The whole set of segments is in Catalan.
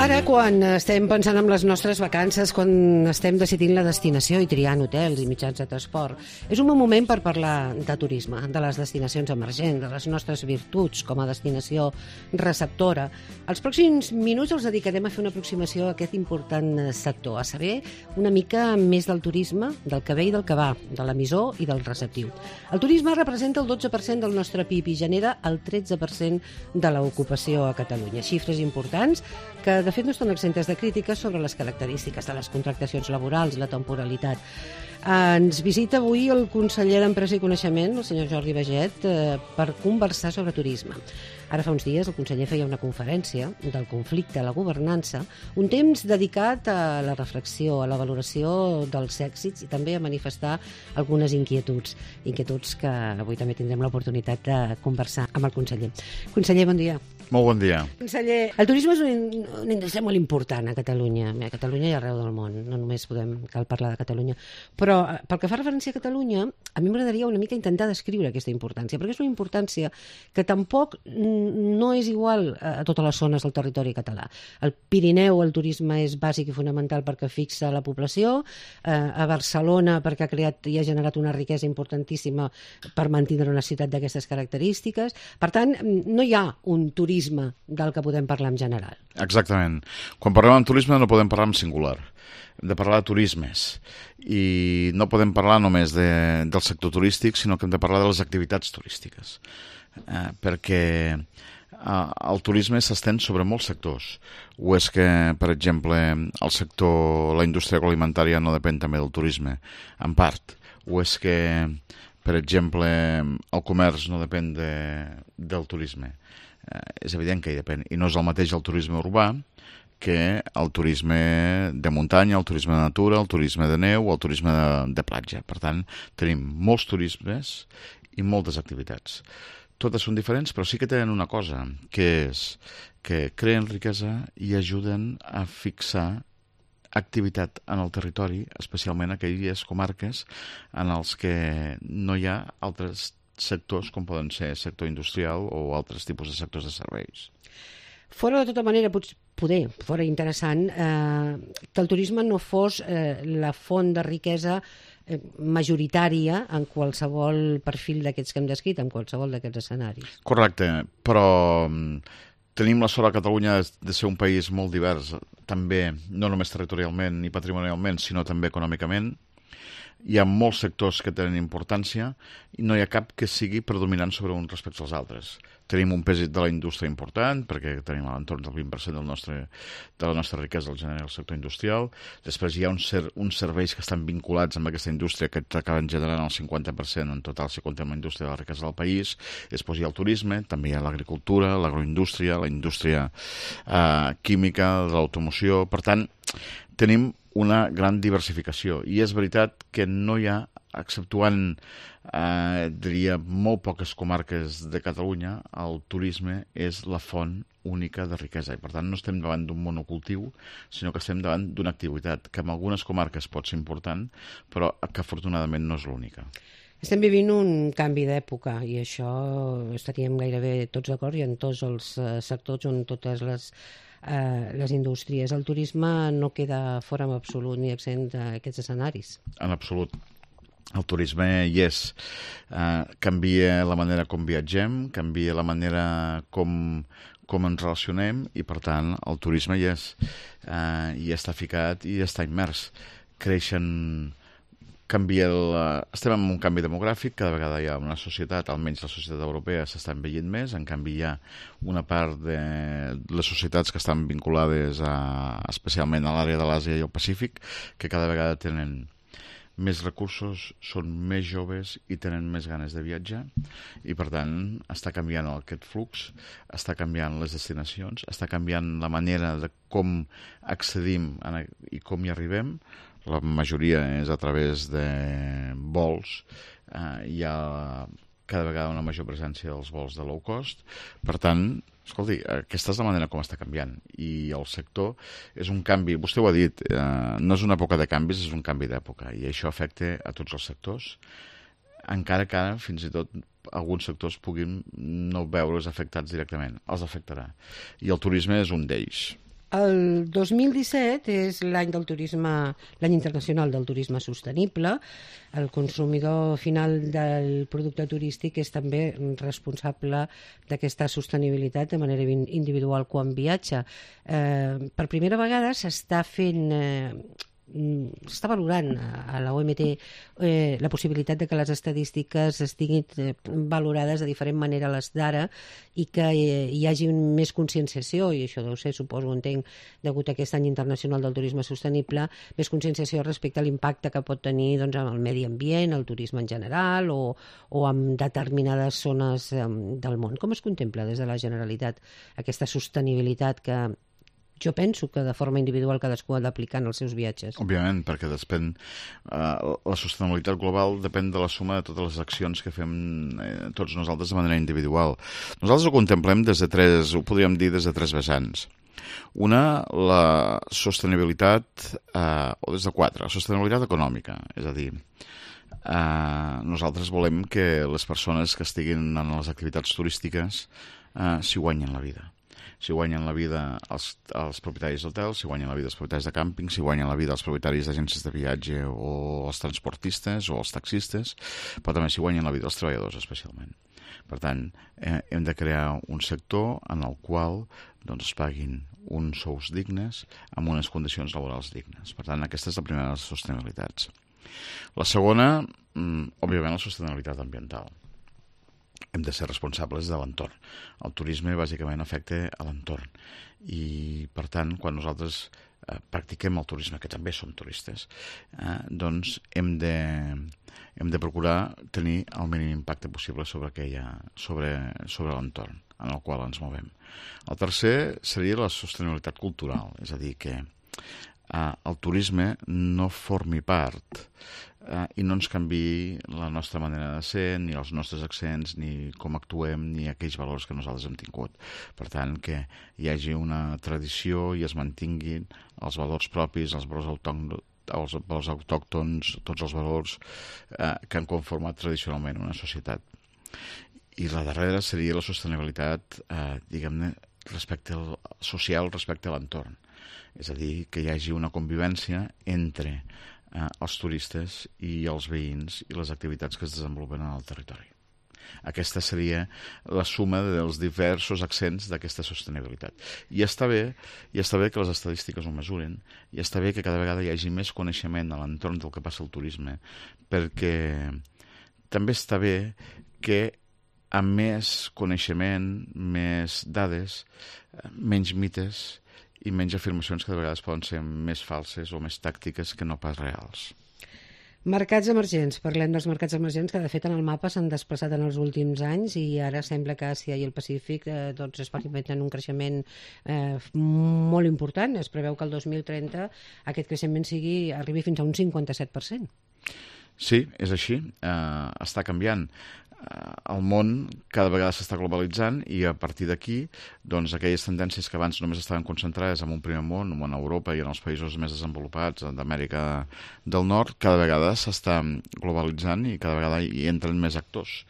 Ara, quan estem pensant en les nostres vacances, quan estem decidint la destinació i triant hotels i mitjans de transport, és un bon moment per parlar de turisme, de les destinacions emergents, de les nostres virtuts com a destinació receptora. Els pròxims minuts els dedicarem a fer una aproximació a aquest important sector, a saber una mica més del turisme, del que ve i del que va, de l'emissor i del receptiu. El turisme representa el 12% del nostre PIB i genera el 13% de l'ocupació a Catalunya. Xifres importants que de fet no estan exemptes de crítiques sobre les característiques de les contractacions laborals, la temporalitat. Ens visita avui el conseller d'Empresa i Coneixement, el senyor Jordi Baiget, per conversar sobre turisme. Ara fa uns dies el conseller feia una conferència del conflicte a la governança, un temps dedicat a la reflexió, a la valoració dels èxits i també a manifestar algunes inquietuds que avui també tindrem l'oportunitat de conversar amb el conseller. Conseller, bon dia. Molt bon dia. Conseller, el turisme és una indústria molt important a Catalunya. A Catalunya i arreu del món. No només cal parlar de Catalunya. Però pel que fa referència a Catalunya, a mi m'agradaria una mica intentar descriure aquesta importància, perquè és una importància que tampoc no és igual a totes les zones del territori català. Al Pirineu el turisme és bàsic i fonamental perquè fixa la població, a Barcelona perquè ha creat i ha generat una riquesa importantíssima per mantenir una ciutat d'aquestes característiques. Per tant, no hi ha un turisme del que podem parlar en general. Exactament. Quan parlem en turisme no podem parlar en singular. Hem de parlar de turismes. I no podem parlar només del sector turístic, sinó que hem de parlar de les activitats turístiques. Perquè el turisme s'estén sobre molts sectors. O és que, per exemple, la indústria agroalimentària no depèn també del turisme, en part. O és que, per exemple, el comerç no depèn del turisme. És evident que hi depèn. I no és el mateix el turisme urbà que el turisme de muntanya, el turisme de natura, el turisme de neu o el turisme de platja. Per tant, tenim molts turismes i moltes activitats. Totes són diferents, però sí que tenen una cosa, que és que creen riquesa i ajuden a fixar activitat en el territori, especialment en aquelles comarques en els que no hi ha altres sectors com poden ser sector industrial o altres tipus de sectors de serveis. Fora de tota manera, poder, fora interessant, que el turisme no fos la font de riquesa majoritària en qualsevol perfil d'aquests que hem descrit, en qualsevol d'aquests escenaris. Correcte, però tenim la sort a Catalunya de ser un país molt divers, també, no només territorialment ni patrimonialment, sinó també econòmicament. Hi ha molts sectors que tenen importància i no hi ha cap que sigui predominant sobre un respecte als altres. Tenim un pes de la indústria important, perquè tenim a l'entorn del 20% de la nostra riquesa el genera el sector industrial. Després hi ha uns serveis que estan vinculats amb aquesta indústria que acaben generant el 50% en total si comptem la indústria de la riquesa del país. Després hi ha el turisme, també hi ha l'agricultura, l'agroindústria, la indústria química, de l'automoció. Per tant, tenim una gran diversificació. I és veritat que no hi ha, exceptuant, diria, molt poques comarques de Catalunya, el turisme és la font única de riquesa. I, per tant, no estem davant d'un monocultiu, sinó que estem davant d'una activitat que en algunes comarques pot ser important, però que afortunadament no és l'única. Estem vivint un canvi d'època i això estaríem gairebé tots d'acord i en tots els sectors on totes les indústries. El turisme no queda fora en absolut ni exempt d'aquests escenaris. En absolut. El turisme hi és. Canvia la manera com viatgem, canvia la manera com ens relacionem i, per tant, el turisme hi és. Hi està ficat i està immers. Estem en un canvi demogràfic, cada vegada hi ha una societat, almenys la societat europea s'està envellint més, en canvi hi ha una part de les societats que estan vinculades especialment a l'àrea de l'Àsia i el Pacífic, que cada vegada tenen més recursos, són més joves i tenen més ganes de viatjar i, per tant, està canviant aquest flux, està canviant les destinacions, està canviant la manera de com accedim i com hi arribem. La majoria és a través de vols. Hi ha cada vegada una major presència dels vols de low cost. Per tant, escolti, aquesta és la manera com està canviant. I el sector és un canvi, vostè ho ha dit, no és una època de canvis, és un canvi d'època. I això afecta a tots els sectors, encara que ara, fins i tot, alguns sectors puguin no veure's afectats directament. Els afectarà. I el turisme és un d'ells. El 2017 és l'any del turisme, l'any internacional del turisme sostenible. El consumidor final del producte turístic és també responsable d'aquesta sostenibilitat de manera individual quan viatja. Per primera vegada s'està valorant a la OMT la possibilitat de que les estadístiques estiguin valorades de diferent manera a les d'ara i que hi hagi més conscienciació, i això deu ser, suposo, entenc, degut a aquest any internacional del turisme sostenible, més conscienciació respecte a l'impacte que pot tenir doncs, en el medi ambient, el turisme en general o en determinades zones del món. Com es contempla des de la Generalitat aquesta sostenibilitat que jo penso que de forma individual cadascú ha d'aplicar en els seus viatges? Òbviament, perquè la sostenibilitat global depèn de la suma de totes les accions que fem tots nosaltres de manera individual. Nosaltres ho contemplem ho podríem dir des de tres vessants. Una, la sostenibilitat, o des de quatre, la sostenibilitat econòmica, és a dir, nosaltres volem que les persones que estiguin en les activitats turístiques s'hi guanyen la vida. Si guanyen la vida els propietaris d'hotels, si guanyen la vida els propietaris de càmping, si guanyen la vida els propietaris d'agències de viatge o els transportistes o els taxistes, però també si guanyen la vida els treballadors especialment. Per tant, hem de crear un sector en el qual es paguin uns sous dignes amb unes condicions laborals dignes. Per tant, aquesta és la primera de les sostenibilitats. La segona, òbviament, la sostenibilitat ambiental. Hem de ser responsables de l'entorn. El turisme bàsicament afecta a l'entorn i, per tant, quan nosaltres practiquem el turisme, que també som turistes, doncs hem de procurar tenir el mínim impacte possible sobre l'entorn en el qual ens movem. El tercer seria la sostenibilitat cultural, és a dir, que el turisme no formi part i no ens canviï la nostra manera de ser, ni els nostres accents, ni com actuem, ni aquells valors que nosaltres hem tingut. Per tant, que hi hagi una tradició i es mantinguin els valors propis, els valors autòctons, tots els valors que han conformat tradicionalment una societat. I la darrera seria la sostenibilitat, diguem-ne, social respecte a l'entorn. És a dir, que hi hagi una convivència entre els turistes i els veïns i les activitats que es desenvolupen en el territori. Aquesta seria la suma dels diversos accents d'aquesta sostenibilitat. I està bé que les estadístiques ho mesuren, i està bé que cada vegada hi hagi més coneixement a l'entorn del que passa al turisme, perquè també està bé que amb més coneixement, més dades, menys mites i menys afirmacions que de vegades poden ser més falses o més tàctiques que no pas reals. Mercats emergents. Parlem dels mercats emergents que de fet en el mapa s'han desplaçat en els últims anys i ara sembla que Àsia i el Pacífic experimenten un creixement molt important. Es preveu que el 2030 aquest creixement arribi fins a un 57%. Sí, és així. Està canviant. El món cada vegada s'està globalitzant i a partir d'aquí, doncs, aquelles tendències que abans només estaven concentrades en un primer món, en Europa i en els països més desenvolupats d'Amèrica del Nord, cada vegada s'està globalitzant i cada vegada hi entren més actors.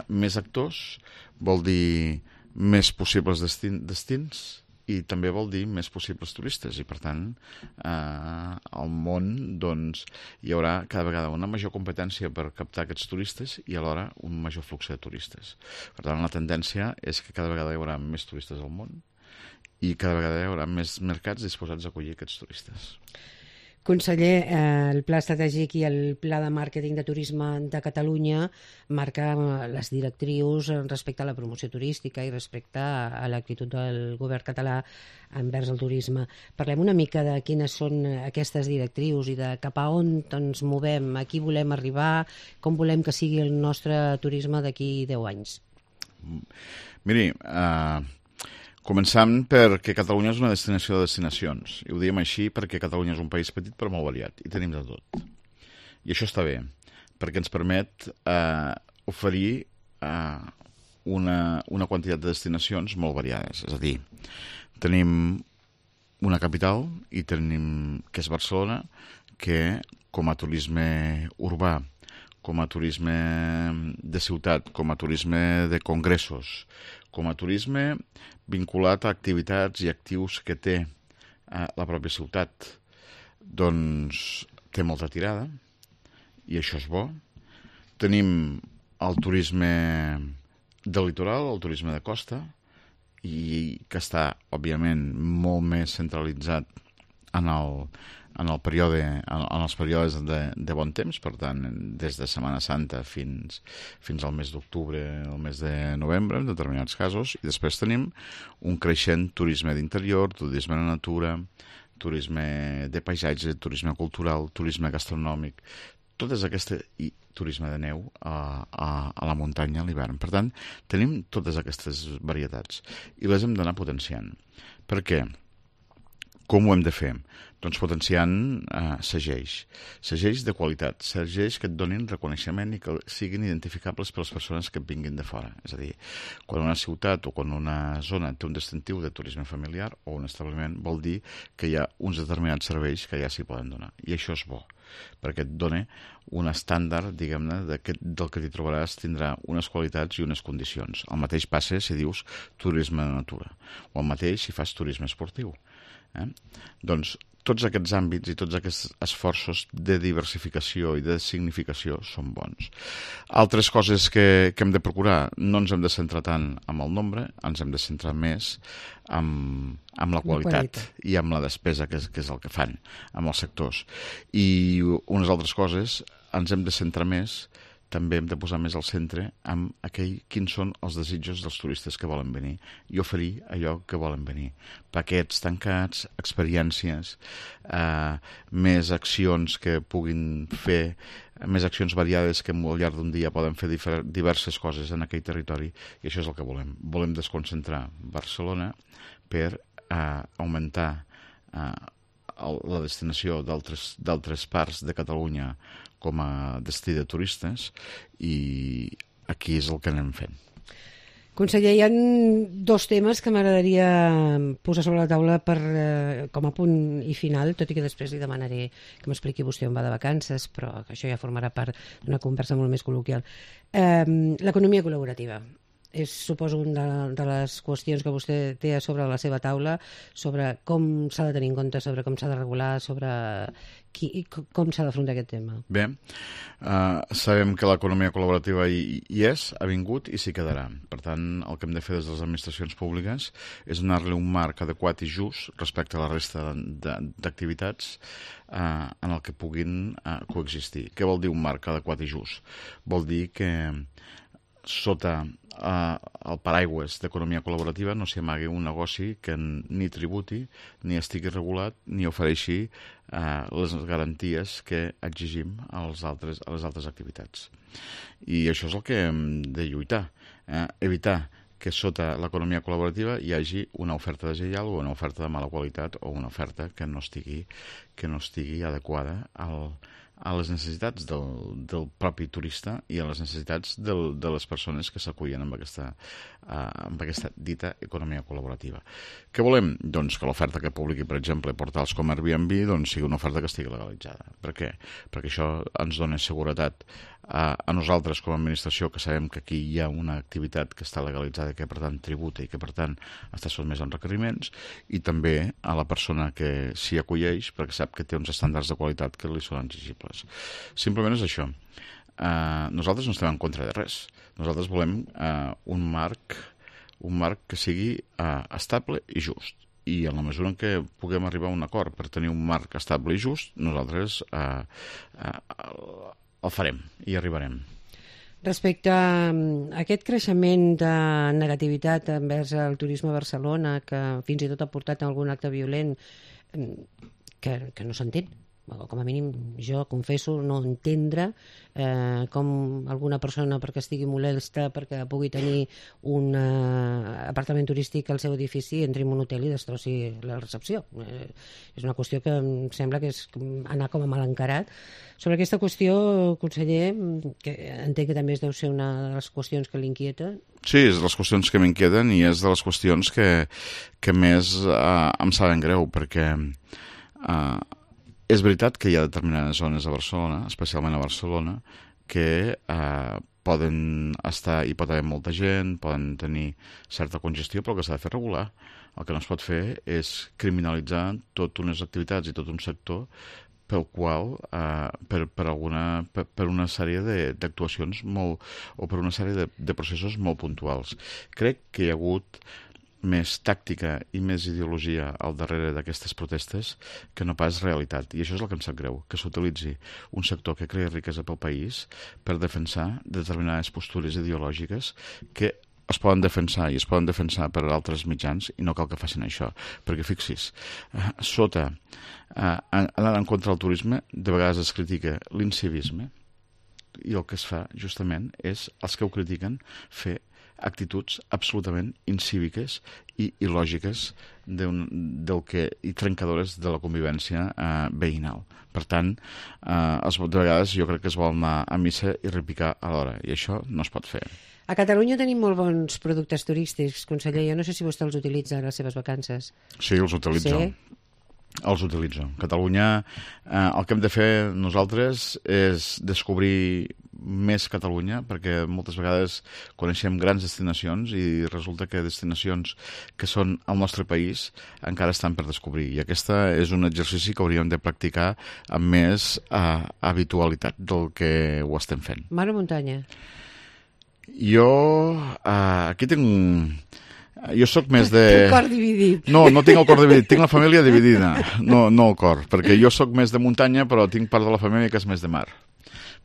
Més actors vol dir més possibles destins i també vol dir més possibles turistes i, per tant, al món hi haurà cada vegada una major competència per captar aquests turistes i alhora un major flux de turistes. Per tant, la tendència és que cada vegada hi haurà més turistes al món i cada vegada hi haurà més mercats disposats a acollir aquests turistes. Conseller, el Pla Estratègic i el Pla de Màrqueting de Turisme de Catalunya marca les directrius respecte a la promoció turística i respecte a l'actitud del govern català envers el turisme. Parlem una mica de quines són aquestes directrius i de cap a on ens movem, a qui volem arribar, com volem que sigui el nostre turisme d'aquí 10 anys. Miri, començant perquè Catalunya és una destinació de destinacions. I ho diem així perquè Catalunya és un país petit però molt variat i tenim de tot. I això està bé, perquè ens permet oferir una quantitat de destinacions molt variades. És a dir, tenim una capital que és Barcelona, que com a turisme urbà, com a turisme de ciutat, com a turisme de congressos, com a turisme vinculat a activitats i actius que té la pròpia ciutat, doncs té molta tirada i això és bo. Tenim el turisme del litoral, el turisme de costa, i que està, òbviament, molt més centralitzat en els períodes de bon temps, per tant, des de Setmana Santa fins al mes d'octubre, el mes de novembre, en determinats casos, i després tenim un creixent turisme d'interior, turisme de natura, turisme de paisatge, turisme cultural, turisme gastronòmic, i turisme de neu a la muntanya a l'hivern. Per tant, tenim totes aquestes varietats i les hem d'anar potenciant. Per què? Com ho hem de fer? Doncs potenciant segells de qualitat, segells que et donin reconeixement i que siguin identificables per les persones que vinguin de fora. És a dir, quan una ciutat o quan una zona té un distintiu de turisme familiar o un establiment, vol dir que hi ha uns determinats serveis que ja s'hi poden donar. I això és bo, perquè et dona un estàndard, diguem-ne, del que t'hi trobaràs, tindrà unes qualitats i unes condicions. El mateix passa si dius turisme de natura, o el mateix si fas turisme esportiu. Doncs tots aquests àmbits i tots aquests esforços de diversificació i de significació són bons. Altres coses que hem de procurar, no ens hem de centrar tant en el nombre, ens hem de centrar més en la qualitat i en la despesa, que és el que fan amb els sectors. I unes altres coses, ens hem de centrar més, també hem de posar més al centre amb quins són els desitjos dels turistes que volen venir i oferir allò que volen venir. Paquets tancats, experiències, més accions que puguin fer, més accions variades que al llarg d'un dia poden fer diverses coses en aquell territori, i això és el que volem. Volem desconcentrar Barcelona per augmentar la destinació d'altres parts de Catalunya com a destí de turistes, i aquí és el que anem fent. Conseller, hi ha dos temes que m'agradaria posar sobre la taula com a punt i final, tot i que després li demanaré que m'expliqui vostè on va de vacances, però que això ja formarà part d'una conversa molt més col·loquial. L'economia col·laborativa és, suposo, una de les qüestions que vostè té sobre la seva taula, sobre com s'ha de tenir en compte, sobre com s'ha de regular, sobre com s'ha d'afrontar aquest tema. Bé, sabem que l'economia col·laborativa hi és, ha vingut i s'hi quedarà. Per tant, el que hem de fer des de les administracions públiques és donar-li un marc adequat i just respecte a la resta d'activitats en el que puguin coexistir. Què vol dir un marc adequat i just? Vol dir que sota el paraigües d'economia col·laborativa no s'hi amagui un negoci que ni tributi, ni estigui regulat, ni ofereixi les garanties que exigim a les altres activitats. I això és el que hem de lluitar, evitar que sota l'economia col·laborativa hi hagi una oferta deslleial o una oferta de mala qualitat o una oferta que no estigui adequada a les necessitats del propi turista i a les necessitats de les persones que s'acullen amb aquesta dita economia col·laborativa. Què volem? Doncs que l'oferta que publiqui, per exemple, portals com Airbnb, sigui una oferta que estigui legalitzada. Per què? Perquè això ens dona seguretat a nosaltres com a administració, que sabem que aquí hi ha una activitat que està legalitzada, que per tant tributa i que per tant està sotmès a requeriments, i també a la persona que s'hi acolleix perquè sap que té uns estàndards de qualitat que li són exigibles. Simplement és això. Nosaltres no estem en contra de res. Nosaltres volem un marc que sigui estable i just. I en la mesura en què puguem arribar a un acord per tenir un marc estable i just, nosaltres el farem i arribarem. Respecte a aquest creixement de negativitat envers el turisme a Barcelona, que fins i tot ha portat a algun acte violent que no s'entén, com a mínim jo confesso no entendre com alguna persona, perquè estigui molesta, perquè pugui tenir un apartament turístic al seu edifici, entri en un hotel i destrossi la recepció. És una qüestió que em sembla que és anar com a mal encarat. Sobre aquesta qüestió, conseller, que entenc que també deu ser una de les qüestions que l'inquieta. Sí, és de les qüestions que m'inquieten i és de les qüestions que més em saben greu, perquè és veritat que hi ha determinades zones a Barcelona, especialment a Barcelona, que poden estar, hi pot haver molta gent, poden tenir certa congestió, però el que s'ha de fer regular. El que no es pot fer és criminalitzar totes unes activitats i tot un sector pel qual, per una sèrie d'actuacions o per una sèrie de processos molt puntuals. Crec que hi ha hagut més tàctica i més ideologia al darrere d'aquestes protestes que no pas realitat. I això és el que em sap greu, que s'utilitzi un sector que crea riquesa pel país per defensar determinades postures ideològiques que es poden defensar i es poden defensar per altres mitjans i no cal que facin això. Perquè fixis, anant en contra del turisme, de vegades es critica l'incivisme i el que es fa justament és, els que ho critiquen, fer actituds absolutament incíviques i il·lògiques i trencadores de la convivència veïnal. Per tant, de vegades jo crec que es vol anar a missa i repicar a l'hora, i això no es pot fer. A Catalunya tenim molt bons productes turístics, conseller. Jo no sé si vostè els utilitza a les seves vacances. Sí, els utilitzo. Sí? Els utilitzo. Catalunya, el que hem de fer nosaltres és descobrir més Catalunya, perquè moltes vegades coneixem grans destinacions i resulta que destinacions que són al nostre país encara estan per descobrir. I aquesta és un exercici que hauríem de practicar amb més habitualitat del que ho estem fent. Mar o muntanya? Jo aquí tinc... Jo sóc més de... Tinc el cor dividit. No tinc el cor dividit, tinc la família dividida, no el cor, perquè jo sóc més de muntanya, però tinc part de la família que és més de mar.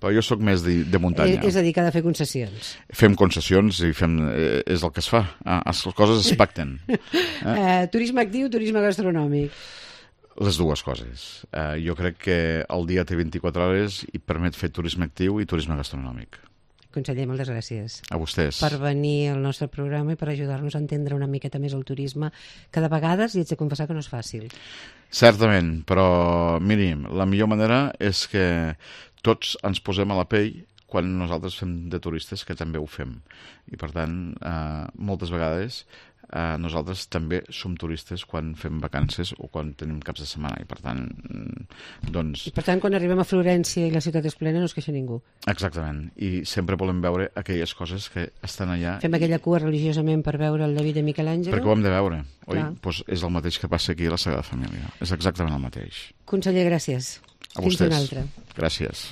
Però jo sóc més de muntanya. És a dir, que ha de fer concessions. Fem concessions i és el que es fa. Les coses es pacten. Turisme actiu, turisme gastronòmic. Les dues coses. Jo crec que el dia té 24 hores i permet fer turisme actiu i turisme gastronòmic. Conseller, moltes gràcies. A vostès. Per venir al nostre programa i per ajudar-nos a entendre una miqueta més el turisme, que de vegades, i haig de confessar que no és fàcil. Certament, però miri, la millor manera és que tots ens posem a la pell quan nosaltres fem de turistes, que també ho fem. I per tant, moltes vegades nosaltres també som turistes quan fem vacances o quan tenim caps de setmana i per tant, doncs... I per tant, quan arribem a Florència i la ciutat és plena no es queixa ningú. Exactament, i sempre volem veure aquelles coses que estan allà. Fem aquella cua religiosament per veure el David de Miquel Àngel. Perquè ho hem de veure, oi? Doncs és el mateix que passa aquí a la Sagrada Família, és exactament el mateix. Conseller, gràcies. A vostès. Fins una altra. Gràcies.